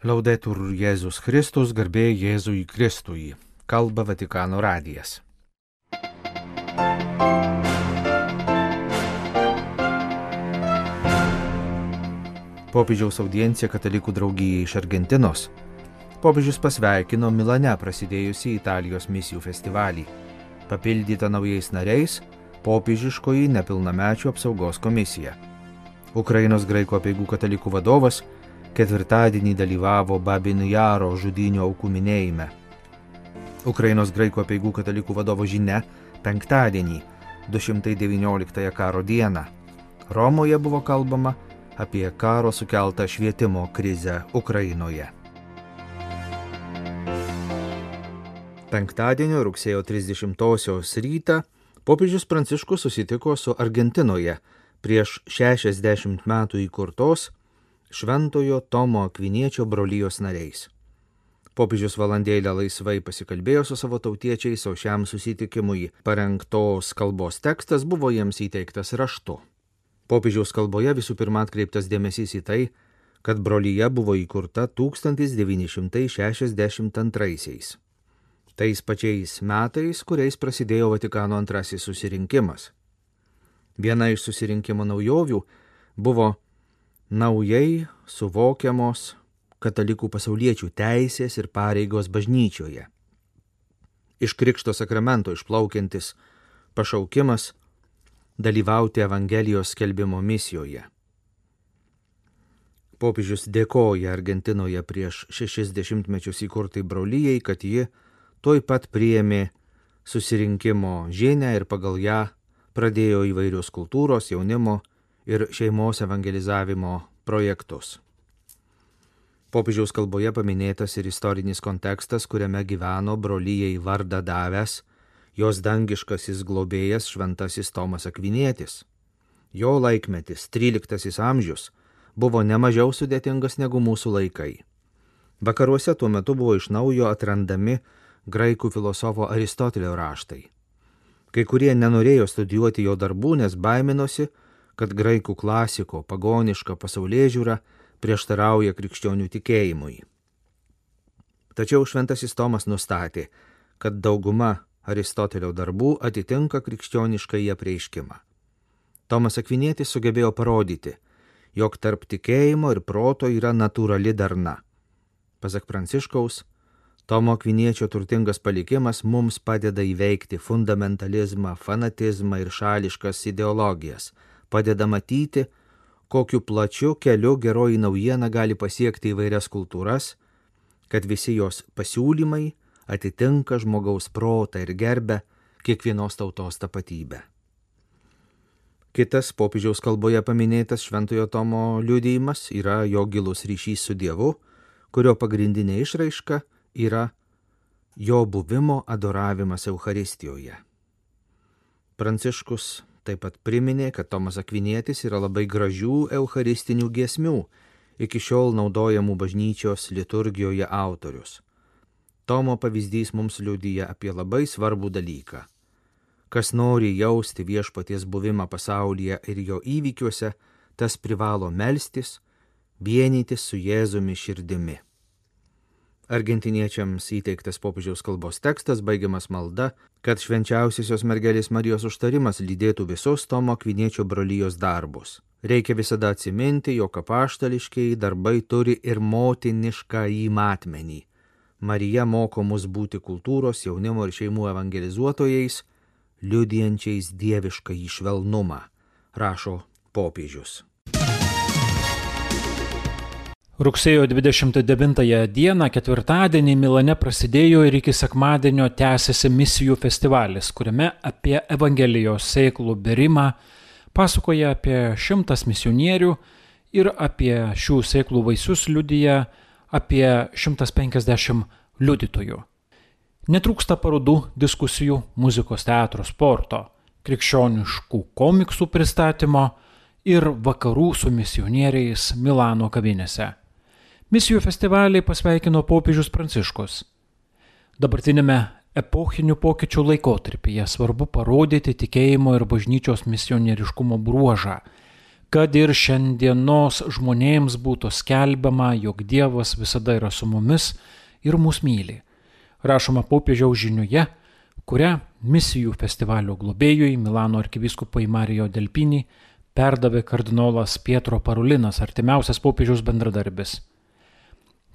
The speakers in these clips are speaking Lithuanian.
Laudetur Jėzus Kristus, garbė Jėzui Kristui. Kalba Vatikano radijas. Popiežiaus audiencija katalikų draugijai iš Argentinos. Popiežius pasveikino Milane prasidėjusį Italijos misijų festivalį. Papildyta naujais nariais popiežiškoji nepilnamečių apsaugos komisija. Ukrainos graikų apeigų katalikų vadovas ketvirtadienį dalyvavo Babin Jaro žudynių aukų minėjime. Ukrainos graikų apeigų katalikų vadovo žinia penktadienį, 219 karo dieną. Romoje buvo kalbama apie karo sukeltą švietimo krizę Ukrainoje. Penktadienio rugsėjo 30-osios rytą popiežius Pranciškus susitiko su Argentinoje prieš 60 metų įkurtos Šventojo Tomo Akviniečio brolijos nariais. Popiežius valandėlę laisvai pasikalbėjo su savo tautiečiais, o šiam susitikimui parengtos kalbos tekstas buvo jiems įteiktas raštu. Popiežiaus kalboje visų pirma atkreiptas dėmesys į tai, kad brolyje buvo įkurta 1962. Tais pačiais metais, kuriais prasidėjo Vatikano antrasis susirinkimas. Viena iš susirinkimo naujovių buvo naujai suvokiamos katalikų pasauliečių teisės ir pareigos bažnyčioje. Iš Krikšto sakramento išplaukiantis pašaukimas dalyvauti Evangelijos skelbimo misijoje. Popiežius dėkoja Argentinoje prieš 60 mečius įkurtai brolijai, kad ji tuoj pat priėmė susirinkimo žinią ir pagal ją pradėjo įvairius kultūros, jaunimo ir šeimos evangelizavimo projektus. Popiežiaus kalboje paminėtas ir istorinis kontekstas, kuriame gyveno brolijai vardą davęs jos dangiškasis globėjas Šventasis Tomas Akvinietis. Jo laikmetis, 13 amžius, buvo nemažiau sudėtingas negu mūsų laikai. Vakaruose tuo metu buvo iš naujo atrandami graikų filosofo Aristotelio raštai. Kai kurie nenorėjo studijuoti jo darbų, nes baiminosi, kad graikų klasiko pagoniška pasaulėžiūra prieštarauja krikščionių tikėjimui. Tačiau Šventasis Tomas nustatė, kad dauguma Aristotelio darbų atitinka krikščioniškąjį apreiškimą. Tomas Akvinietis sugebėjo parodyti, jog tarp tikėjimo ir proto yra natūrali darna. Pasak Pranciškaus, Tomo Akviniečio turtingas palikimas mums padeda įveikti fundamentalizmą, fanatizmą ir šališkas ideologijas, padeda matyti, kokiu plačiu keliu geroji naujiena gali pasiekti įvairias kultūras, kad visi jos pasiūlymai atitinka žmogaus protą ir gerbia kiekvienos tautos tapatybę. Kitas popiežiaus kalboje paminėtas Šventojo Tomo liudijimas yra jo gilus ryšys su Dievu, kurio pagrindinė išraiška yra jo buvimo adoravimas Eucharistijoje. Pranciškus taip pat priminė, kad Tomas Akvinietis yra labai gražių eucharistinių giesmių, iki šiol naudojamų bažnyčios liturgijoje autorius. Tomo pavyzdys mums liudija apie labai svarbų dalyką. Kas nori jausti viešpaties buvimą pasaulyje ir jo įvykiuose, tas privalo melstis, vienytis su Jėzumi širdimi. Argentiniečiams įteiktas popiežiaus kalbos tekstas baigiamas malda, kad švenčiausiosios mergelės Marijos užtarimas lydėtų visus Tomo Akviniečio brolijos darbus. Reikia visada atsiminti, jog apaštališkieji darbai turi ir motiniškąjį matmenį. Marija moko mus būti kultūros, jaunimo ir šeimų evangelizuotojais, liudijančiais dieviškąjį švelnumą, rašo popiežius. Rugsėjo 29 dieną, ketvirtadienį Milane prasidėjo ir iki sekmadienio tęsiasi misijų festivalis, kuriame apie Evangelijos sėklų berimą pasakoja apie 100 misionierių ir apie šių sėklų vaisius liudija apie 150 liudytojų. Netrūksta parodų, diskusijų, muzikos, teatro, sporto, krikščioniškų komiksų pristatymo ir vakarų su misionieriais Milano kavinėse. Misijų festivalį pasveikino popiežius Pranciškus. Dabartinėme epochinių pokyčių laikotarpyje svarbu parodyti tikėjimo ir bažnyčios misionieriškumo bruožą, kad ir šiandienos žmonėms būtų skelbiama, jog Dievas visada yra su mumis ir mus myli. Rašoma popiežiaus žiniuje, kurią misijų festivalio globėjui Milano arkivyskupui Mario Delpini perdavė kardinolas Pietro Parolinas, artimiausias popiežiaus bendradarbis.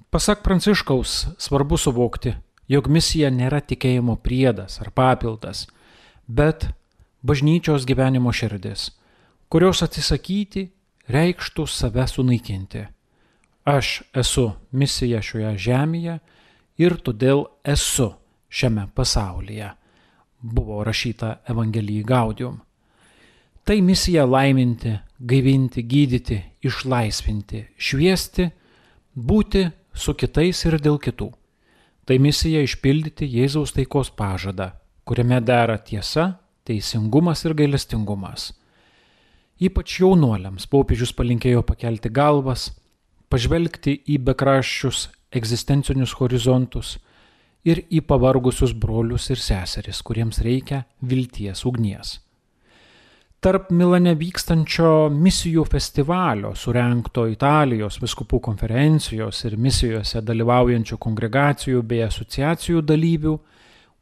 Pasak Pranciškaus, svarbu suvokti, jog misija nėra tikėjimo priedas ar papildas, bet bažnyčios gyvenimo širdis, kurios atsisakyti reikštų save sunaikinti. Aš esu misija šioje žemėje ir todėl esu šiame pasaulyje, buvo rašyta Evangelijai Gaudium. Tai misija laiminti, gaivinti, gydyti, išlaisvinti, šviesti, būti su kitais ir dėl kitų. Tai misija išpildyti Jėzaus taikos pažadą, kuriame dera tiesa, teisingumas ir gailestingumas. Ypač jaunuoliams popiežius palinkėjo pakelti galvas, pažvelgti į bekraščius egzistencinius horizontus ir į pavargusius brolius ir seseris, kuriems reikia vilties ugnies. Tarp Milane vykstančio misijų festivalio, surengto Italijos vyskupų konferencijos ir misijose dalyvaujančių kongregacijų bei asociacijų dalyvių,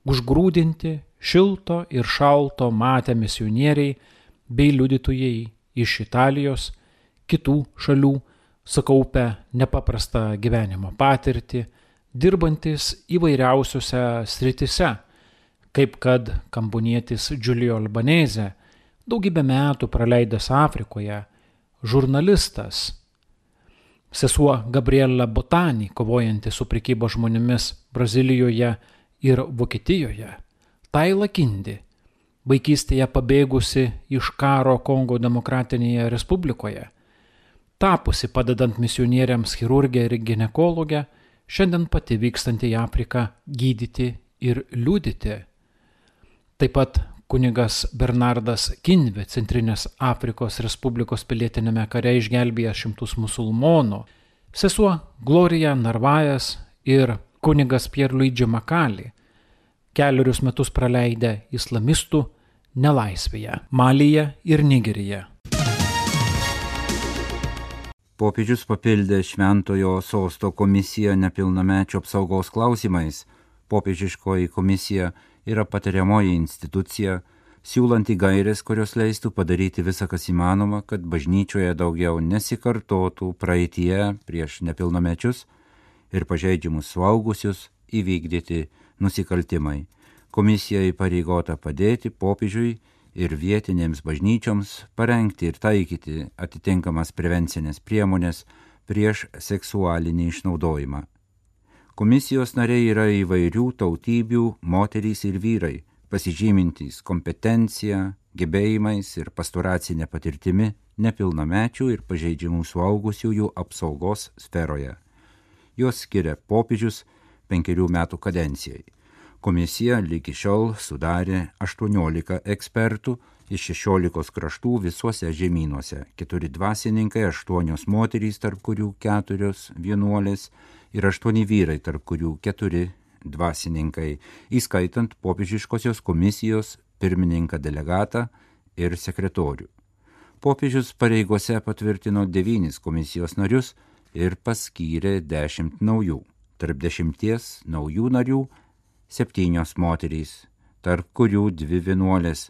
užgrūdinti šilto ir šalto matę misionieriai bei liudytojai iš Italijos, kitų šalių, sukaupę nepaprastą gyvenimo patirtį, dirbantis įvairiausiose sritise, kaip kad kambonietis Giulio Albanese, daugybę metų praleidęs Afrikoje, žurnalistas, sesuo Gabriela Botani, kovojanti su prekyba žmonėmis Brazilijoje ir Vokietijoje, Taila Kindi, vaikystėje pabėgusi iš karo Kongo Demokratinėje Respublikoje, tapusi padedant misionieriams chirurgę ir ginekologę, šiandien pati vykstanti į Afriką gydyti ir liudyti. Taip pat kunigas Bernardas Kinvi Centrinės Afrikos Respublikos pilietinėme kare išgelbėjęs šimtus musulmonų, sesuo Gloria Narvajas ir kunigas Pierluigi Makali, 4 metus praleidę islamistų nelaisvėje, Malyje ir Nigeryje. Popiežius papildė Šventojo sosto komisiją nepilnamečių apsaugos klausimais. Popiežiškoji komisija yra patariamoji institucija, siūlanti gairės, kurios leistų padaryti visą, kas įmanoma, kad bažnyčioje daugiau nesikartotų praeitie prieš nepilnamečius ir pažeidžiamus suaugusius įvykdyti nusikaltimai. Komisija įpareigota padėti popiežiui ir vietinėms bažnyčioms parengti ir taikyti atitinkamas prevencinės priemonės prieš seksualinį išnaudojimą. Komisijos nariai yra įvairių tautybių moterys ir vyrai, pasižymintys kompetencija, gebėjimais ir pastoracinė patirtimi nepilnamečių ir pažeidžiamų suaugusiųjų apsaugos sferoje. Jos skiria popiežius 5 metų kadencijai. Komisija lygi šiol sudarė 18 ekspertų iš 16 kraštų visuose žemynuose, 4 dvasininkai, 8 moterys, tarp kurių 4 vienuolės ir 8 vyrai, tarp kurių 4 dvasininkai, įskaitant popiežiškosios komisijos pirmininką delegatą ir sekretorių. Popiežius pareigose patvirtino 9 komisijos narius ir paskyrė 10 naujų. Tarp 10 naujų narių 7 moterys, tarp kurių 2 vienuolės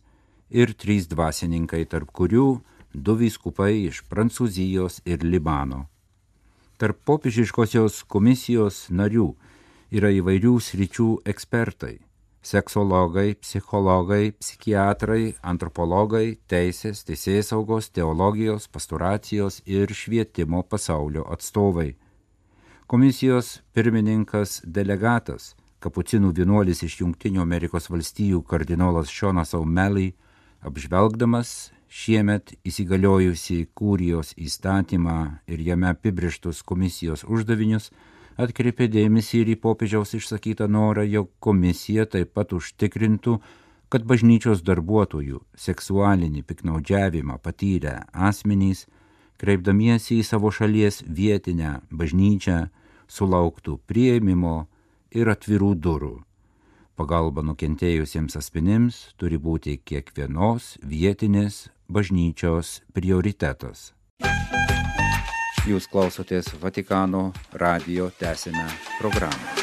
ir 3 dvasininkai, tarp kurių 2 vyskupai iš Prancūzijos ir Libano. Tarp popiežiškosios komisijos narių yra įvairių sričių ekspertai – seksologai, psichologai, psichiatrai, antropologai, teisės, teisėsaugos, teologijos, pastoracijos ir švietimo pasaulio atstovai. Komisijos pirmininkas delegatas, kapucinų vienuolis iš Jungtinių Amerikos valstijų kardinolas Seanas O'Malley, apžvelgdamas šiemet įsigaliojusi Kurijos įstatymą ir jame apibrėžtus komisijos uždavinius, atkreipė dėmesį ir į popiežiaus išsakytą norą, jog komisija taip pat užtikrintų, kad bažnyčios darbuotojų seksualinį piktnaudžiavimą patyrę asmenys, kreipdamiesi į savo šalies vietinę bažnyčią, sulauktų priėmimo ir atvirų durų. Pagalba nukentėjusiems asmenims turi būti kiekvienos vietinės bažnyčios prioritetas. Jūs klausotės Vatikano radijo, tęsime programą.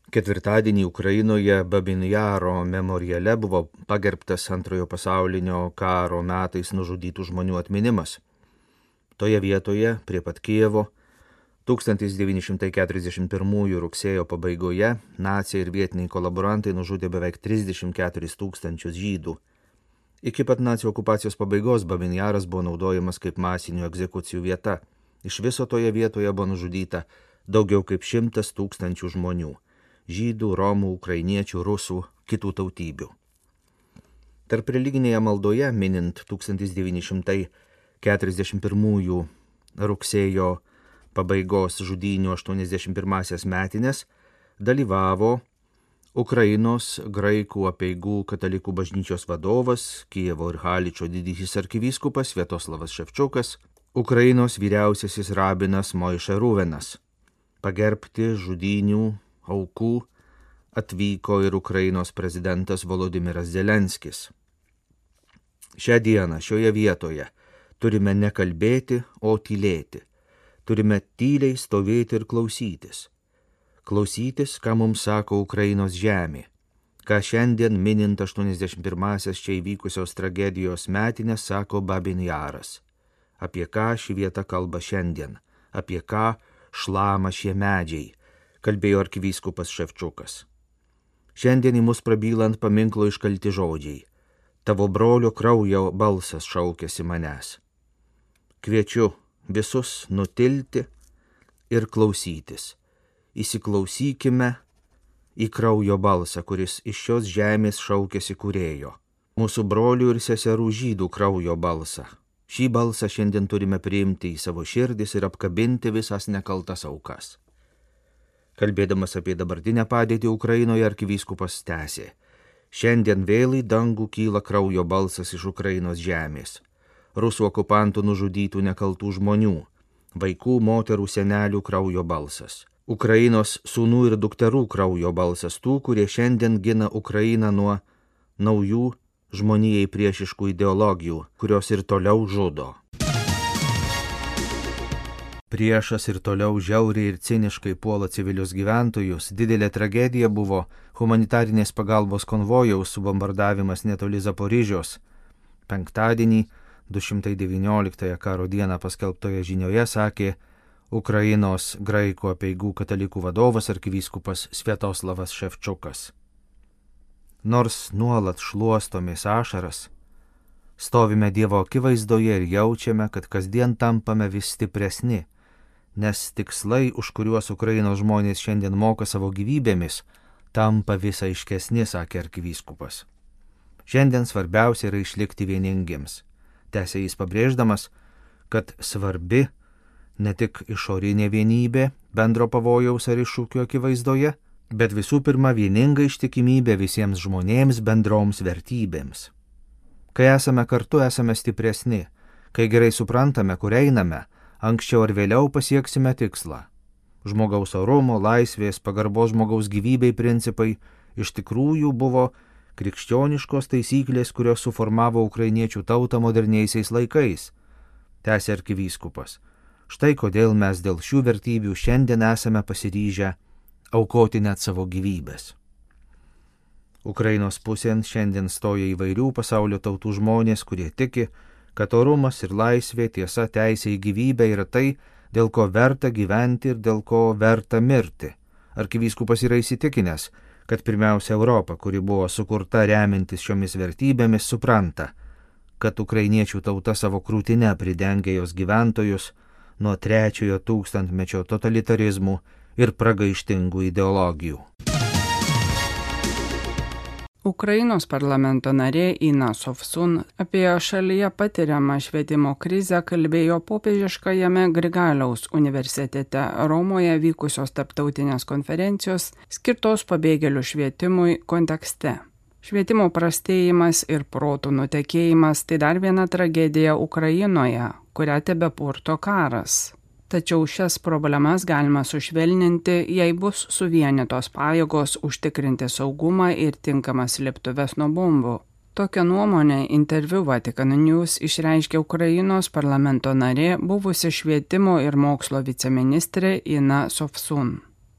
Ketvirtadienį Ukrainoje Babyn Jaro memoriale buvo pagerbtas Antrojo pasaulinio karo metais nužudytų žmonių atminimas. Toje vietoje, prie pat Kijevo, 1941 rugsėjo pabaigoje naciai ir vietiniai kolaborantai nužudė beveik 34 000 žydų. Iki pat nacių okupacijos pabaigos Babyn Jaras buvo naudojamas kaip masinių egzekucijų vieta. Iš viso toje vietoje buvo nužudyta daugiau kaip 100 000 žmonių – žydų, romų, ukrainiečių, rusų, kitų tautybių. Tarp religinėje maldoje, minint 1941 rugsėjo pabaigos žudynių 81-asias metinės, dalyvavo Ukrainos graikų apeigų katalikų bažnyčios vadovas, Kijevo ir Haličo didysis arkivyskupas Sviatoslavas Ševčiukas, Ukrainos vyriausiasis rabinas Moiše Ruvenas. Pagerbti žudynių aukų atvyko ir Ukrainos prezidentas Volodimiras Zelenskis. Šią dieną šioje vietoje turime ne kalbėti, o tylėti. Turime tyliai stovėti ir klausytis. Klausytis, ką mums sako Ukrainos žemė, ką šiandien minint 81-asias čia įvykusios tragedijos metinės sako Babyn Jaras. Apie ką ši vieta kalba šiandien, apie ką šlama šie medžiai, kalbėjo arkivyskupas Ševčiukas. Šiandien į mus prabylant paminklo iškalti žodžiai. Tavo brolio kraujo balsas šaukėsi manęs. Kviečiu visus nutilti ir klausytis. Įsiklausykime į kraujo balsą, kuris iš šios žemės šaukėsi kūrėjo. Mūsų brolių ir seserų žydų kraujo balsą. Šį balsą šiandien turime priimti į savo širdis ir apkabinti visas nekaltas aukas. Kalbėdamas apie dabartinę padėtį Ukrainoje, arkivyskupas tęsė. Šiandien vėl į dangų kyla kraujo balsas iš Ukrainos žemės. Rusų okupantų nužudytų nekaltų žmonių, vaikų, moterų, senelių kraujo balsas. Ukrainos sūnų ir dukterų kraujo balsas tų, kurie šiandien gina Ukrainą nuo naujų žmonijai priešiškų ideologijų, kurios ir toliau žudo. Priešas ir toliau žiauriai ir ciniškai puola civilius gyventojus. Didelė tragedija buvo humanitarinės pagalbos konvojaus subombardavimas netoli Zaporižios. Penktadienį, 219 karo dieną paskelbtoje žinioje sakė Ukrainos graikų apeigų katalikų vadovas arkivyskupas Sviatoslavas Ševčiukas. Nors nuolat šluostomės ašaras, stovime Dievo akivaizdoje ir jaučiame, kad kasdien tampame vis stipresni, nes tikslai, už kuriuos Ukrainos žmonės šiandien moka savo gyvybėmis, tampa vis aiškesni, sakė arkivyskupas. Šiandien svarbiausia yra išlikti vieningiems. Tęsė jis pabrėždamas, kad svarbi ne tik išorinė vienybė bendro pavojaus ar iššūkio akivaizdoje, bet visų pirma vieninga ištikimybė visiems žmonėms bendroms vertybėms. Kai esame kartu, esame stipresni, kai gerai suprantame, kur einame, anksčiau ar vėliau pasieksime tikslą. Žmogaus orumo, laisvės, pagarbos žmogaus gyvybei principai iš tikrųjų buvo krikščioniškos taisyklės, kurios suformavo ukrainiečių tautą moderniaisiais laikais, tęsė arkivyskupas. Štai kodėl mes dėl šių vertybių šiandien esame pasiryžę aukoti net savo gyvybės. Ukrainos pusėn šiandien stoja įvairių pasaulio tautų žmonės, kurie tiki, kad orumas ir laisvė, tiesa, teisė į gyvybę yra tai, dėl ko verta gyventi ir dėl ko verta mirti. Arkivyskupas yra įsitikinęs, kad pirmiausia Europa, kuri buvo sukurta remintis šiomis vertybėmis, supranta, kad ukrainiečių tauta savo krūtine pridengia jos gyventojus nuo 3-ojo tūkstantmečio totalitarizmų ir pragaištingų ideologijų. Ukrainos parlamento narė Ina Sovsun apie šalyje patiriamą švietimo krizę kalbėjo popiežiškajame Grigaliaus universitete Romoje vykusios tarptautinės konferencijos skirtos pabėgėlių švietimui kontekste. Švietimo prastėjimas ir protų nutekėjimas tai dar viena tragedija Ukrainoje, kurią tebepurto karas. Tačiau šias problemas galima sušvelninti, jei bus suvienytos pajėgos užtikrinti saugumą ir tinkamas slėptuves nuo bombų. Tokią nuomonę interviu Vatican News išreiškė Ukrainos parlamento narė, buvusi švietimo ir mokslo viceministrė Ina Sofsun.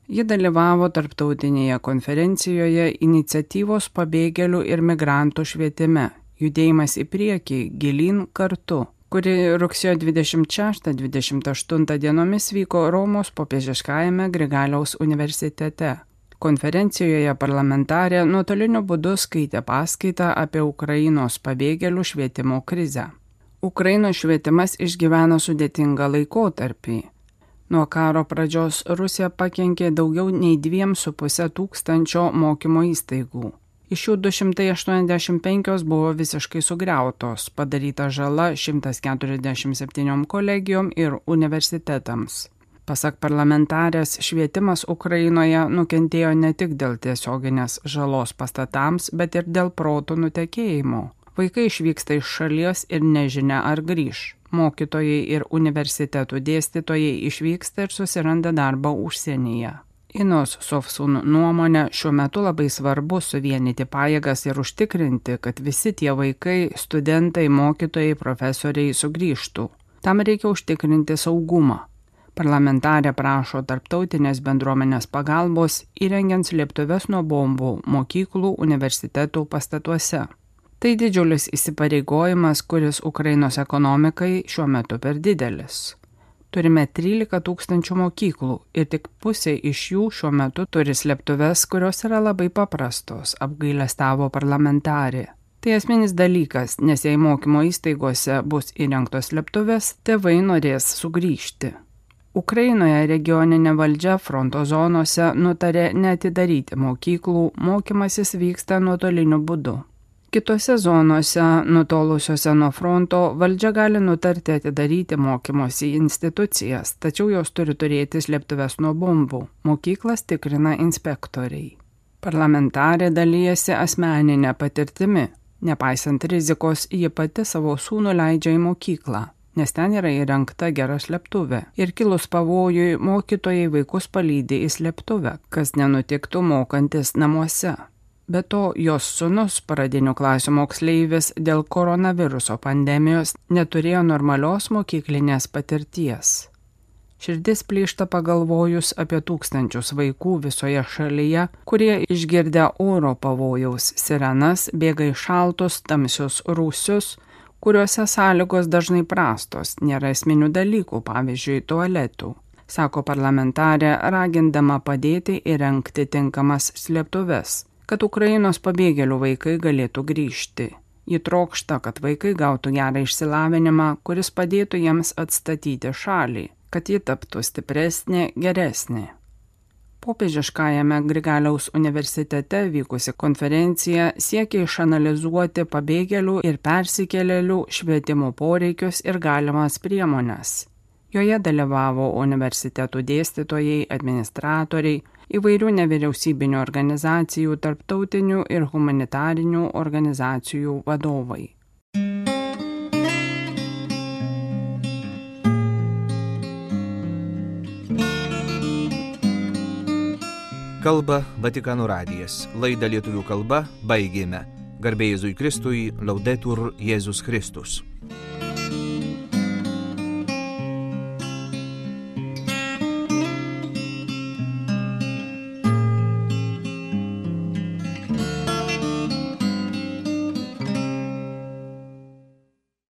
Ji dalyvavo tarptautinėje konferencijoje Iniciatyvos pabėgėlių ir migrantų švietime – Judėjimas į priekį, gilyn kartu, kuri rugsėjo 26-28 dienomis vyko Romos popiežiškajame Grigaliaus universitete. Konferencijoje parlamentarė nuotoliniu būdu skaitė paskaitą apie Ukrainos pabėgėlių švietimo krizę. Ukrainos švietimas išgyvena sudėtingą laikotarpį. Nuo karo pradžios Rusija pakenkė daugiau nei 2,5 tūkstančio mokymo įstaigų. Iš jų 285 buvo visiškai sugriautos, padaryta žala 147 kolegijom ir universitetams. Pasak parlamentarės, švietimas Ukrainoje nukentėjo ne tik dėl tiesioginės žalos pastatams, bet ir dėl protų nutekėjimo. Vaikai išvyksta iš šalies ir nežinia ar grįš. Mokytojai ir universitetų dėstytojai išvyksta ir susiranda darbą užsienyje. Inos Sofsun nuomonė, šiuo metu labai svarbu suvienyti pajėgas ir užtikrinti, kad visi tie vaikai, studentai, mokytojai, profesoriai sugrįžtų. Tam reikia užtikrinti saugumą. Parlamentarė prašo tarptautinės bendruomenės pagalbos įrengiant slėptuves nuo bombų mokyklų, universitetų pastatuose. Tai didžiulis įsipareigojimas, kuris Ukrainos ekonomikai šiuo metu per didelis. Turime 13 tūkstančių mokyklų ir tik pusė iš jų šiuo metu turi slėptuves, kurios yra labai paprastos, apgailestavo parlamentarė. Tai esminis dalykas, nes jei mokymo įstaigose bus įrengtos slėptuvės, tėvai norės sugrįžti. Ukrainoje regioninė valdžia fronto zonose nutarė neatidaryti mokyklų, mokymasis vyksta nuotoliniu būdu. Kitose zonose, nutolusiuose nuo fronto, valdžia gali nutarti atidaryti mokymosi institucijas, tačiau jos turi turėti slėptuves nuo bombų. Mokyklas tikrina inspektoriai. Parlamentarė dalyjasi asmeninę patirtimi. Nepaisant rizikos, ji pati savo sūnų leidžia į mokyklą, nes ten yra įrengta gera slėptuvė. Ir kilus pavojui, mokytojai vaikus palydi į slėptuvę, kas nenutiktų mokantis namuose. Be to, jos sūnus, pradinių klasių moksleivis, dėl koronaviruso pandemijos neturėjo normalios mokyklinės patirties. Širdis plyšta pagalvojus apie tūkstančius vaikų visoje šalyje, kurie išgirdę oro pavojaus sirenas bėga į šaltus, tamsius rūsius, kuriuose sąlygos dažnai prastos, nėra esminių dalykų, pavyzdžiui, tualetų, sako parlamentarė, ragindama padėti įrengti tinkamas slėptuves, kad Ukrainos pabėgėlių vaikai galėtų grįžti. Ji trokšta, kad vaikai gautų gerą išsilavinimą, kuris padėtų jiems atstatyti šalį, kad ji taptų stipresnė, geresnė. Popiežiškajame Grigaliaus universitete vykusi konferencija siekia išanalizuoti pabėgėlių ir persikėlėlių švietimo poreikius ir galimas priemones. Joje dalyvavo universitetų dėstytojai, administratoriai, įvairių nevyriausybinių organizacijų, tarptautinių ir humanitarinių organizacijų vadovai. Kalba Vatikano radijas. Laidą lietuvių kalba baigėme. Garbė Jėzui Kristui, Laudetur Jėzus Kristus.